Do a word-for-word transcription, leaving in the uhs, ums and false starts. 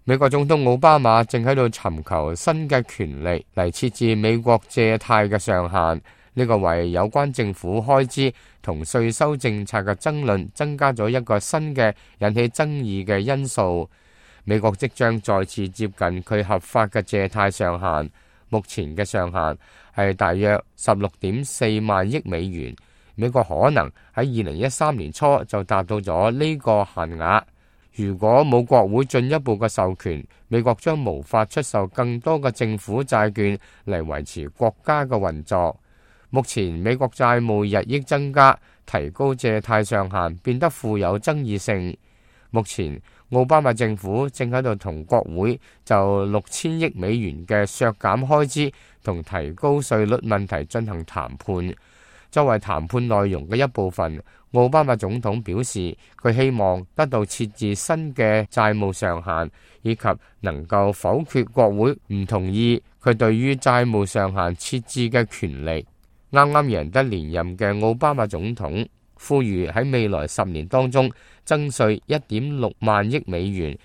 美國總統奧巴馬正喺度尋求新嘅權力嚟設置美國借貸嘅上限，呢個為有關政府開支同稅收政策嘅爭論增加咗一個新嘅引起爭議嘅因素。美國即將再次接近佢合法嘅借貸上限，目前嘅上限係大約十六點四萬億美元。美國可能喺二零一三年初就達到咗呢個限額。如果冇國會進一步嘅授權，美國將無法出售更多嘅政府債券嚟維持國家嘅運作。目前美國債務日益增加，提高借貸上限變得富有爭議性。目前奧巴馬政府正喺度同國會就六千億美元嘅削減開支同提高稅率問題進行談判。作為談判內容嘅一部分，奧巴馬總統表示，佢希望得到設置新嘅債務上限，以及能夠否決國會唔同意佢對於債務上限設置嘅權力。啱啱贏得連任嘅奧巴馬總統呼籲喺未來十年當中增稅一點六萬億美元，